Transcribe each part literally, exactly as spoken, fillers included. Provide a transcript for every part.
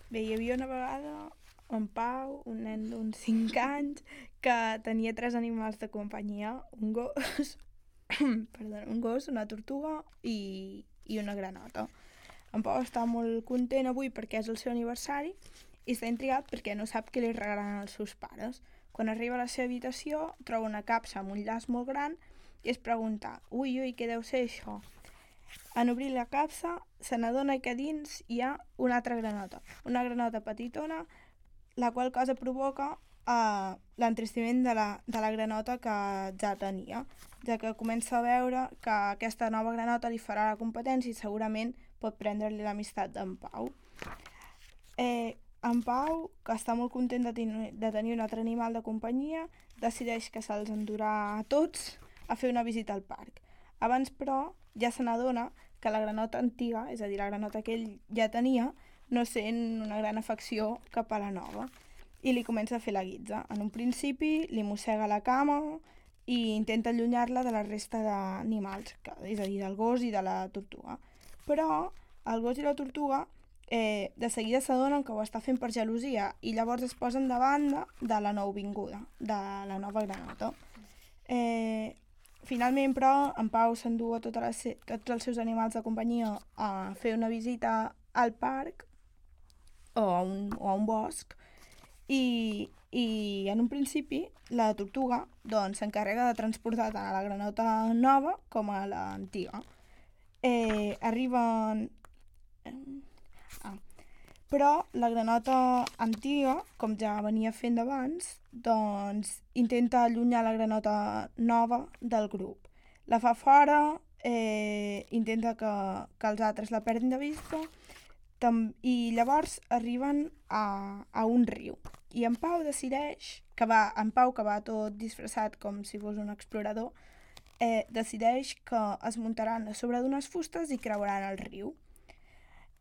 Bé, hi havia una vegada en Pau, un nen d'uns cinc anys, que tenia tres animals de companyia, un gos, perdó, un gos, una tortuga i, i una granota. En Pau està molt content avui perquè és el seu aniversari i està intrigat perquè no sap què li regalaran els seus pares. Quan arriba a la seva habitació troba una capsa amb un llaç molt gran i es pregunta, ui, ui, què deu ser això? En obrir la capsa se n'adona que dins hi ha una altra granota, una granota petitona, la qual cosa provoca uh, l'entristiment de la, de la granota que ja tenia, ja que comença a veure que aquesta nova granota li farà la competència i segurament pot prendre-li l'amistat d'en Pau. Eh, en Pau, que està molt content de, ten de tenir un altre animal de companyia, decideix que se'ls endurà a tots a fer una visita al parc. Abans, però, ja se n'adona que la granota antiga, és a dir, la granota que ell ja tenia, no sent una gran afecció cap a la nova i li comença a fer la guitza. En un principi li mossega la cama i intenta allunyar-la de la resta d'animals, és a dir, del gos i de la tortuga. Però el gos i la tortuga eh, de seguida s'adonen que ho està fent per gelosia i llavors es posen de banda de la nouvinguda, de la nova granota. Eh, finalment, però, en Pau s'endú a tota les, tots els seus animals de companyia a fer una visita al parc o a un, o a un bosc i, i en un principi la tortuga doncs, s'encarrega de transportar tant a la granota nova com a l'antiga. Eh, arriben... Ah. Però la granota antiga, com ja venia fent d'abans, doncs intenta allunyar la granota nova del grup. La fa fora, eh, intenta que, que els altres la perdin de vista tam i llavors arriben a, a un riu. I en Pau decideix, que va, en Pau, que va tot disfressat com si fos un explorador, eh, decideix que es muntaran a sobre d'unes fustes i creuaran el riu.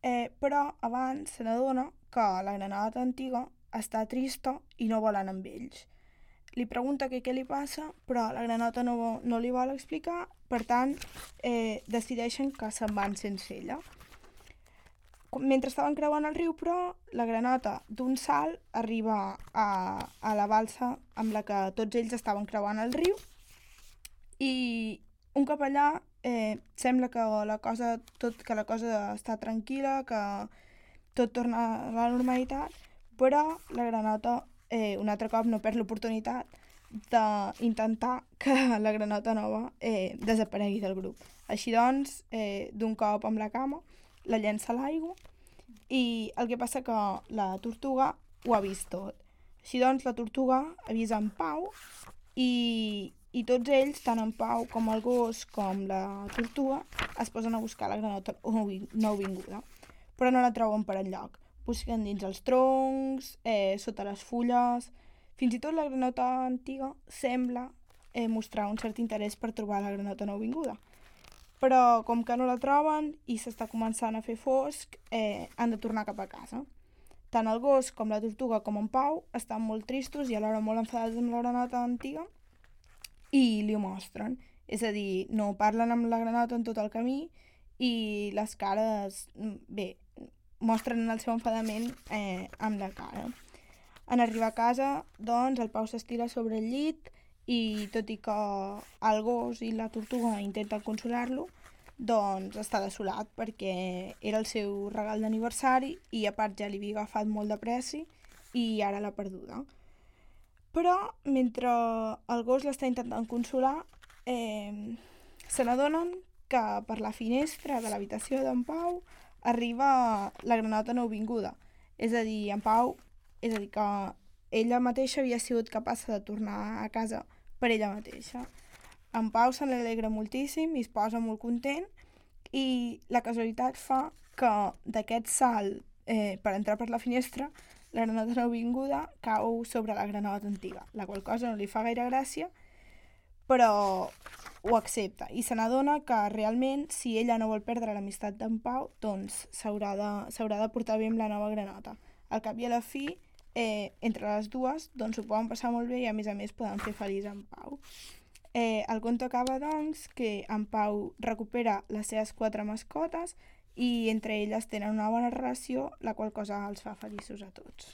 Eh, però abans se n'adona que la granota antiga està trista i no vol anar amb ells. Li pregunta que què li passa, però la granota no, no li vol explicar, per tant, eh, decideixen que se'n van sense ella. Mentre estaven creuant el riu, però, la granota d'un salt arriba a, a la balsa amb la que tots ells estaven creuant el riu i un cop allà eh, sembla que la cosa, tot, que la cosa està tranquil·la, que tot torna a la normalitat, però la granota eh, un altre cop no perd l'oportunitat d'intentar que la granota nova eh, desaparegui del grup. Així doncs, eh, d'un cop amb la cama, la llença a l'aigua i el que passa que la tortuga ho ha vist tot. Així doncs, la tortuga avisa en Pau i, i tots ells, tant en Pau com el gos com la tortuga, es posen a buscar la granota nouvinguda, però no la troben per enlloc. Busquen dins els troncs, eh, sota les fulles... Fins i tot la granota antiga sembla eh, mostrar un cert interès per trobar la granota nouvinguda. Però com que no la troben i s'està començant a fer fosc, eh, han de tornar cap a casa. Tant el gos com la tortuga com en Pau estan molt tristos i alhora molt enfadats amb la granota antiga i li ho mostren. És a dir, no parlen amb la granota en tot el camí i les cares, bé, mostren el seu enfadament eh, amb la cara. En arribar a casa, doncs, el Pau s'estira sobre el llit i tot i que el gos i la tortuga intenten consolar-lo, doncs està desolat perquè era el seu regal d'aniversari i a part ja li havia agafat molt de pressi i ara l'ha perduda. Però mentre el gos l'està intentant consolar, eh, se n'adonen que per la finestra de l'habitació d'en Pau arriba la granota nouvinguda. És a dir, en Pau, és a dir que ella mateixa havia sigut capaç de tornar a casa per ella mateixa. En Pau se n'alegra moltíssim i es posa molt content i la casualitat fa que d'aquest salt eh, per entrar per la finestra la granota nouvinguda cau sobre la granota antiga, la qual cosa no li fa gaire gràcia, però ho accepta i se n'adona que realment si ella no vol perdre l'amistat d'en Pau doncs s'haurà de, s'haurà de portar bé amb la nova granota. Al cap i a la fi, eh, entre les dues doncs ho poden passar molt bé i a més a més poden fer feliç en Pau. Eh, el conte acaba, doncs, que en Pau recupera les seves quatre mascotes i entre elles tenen una bona relació, la qual cosa els fa feliços a tots.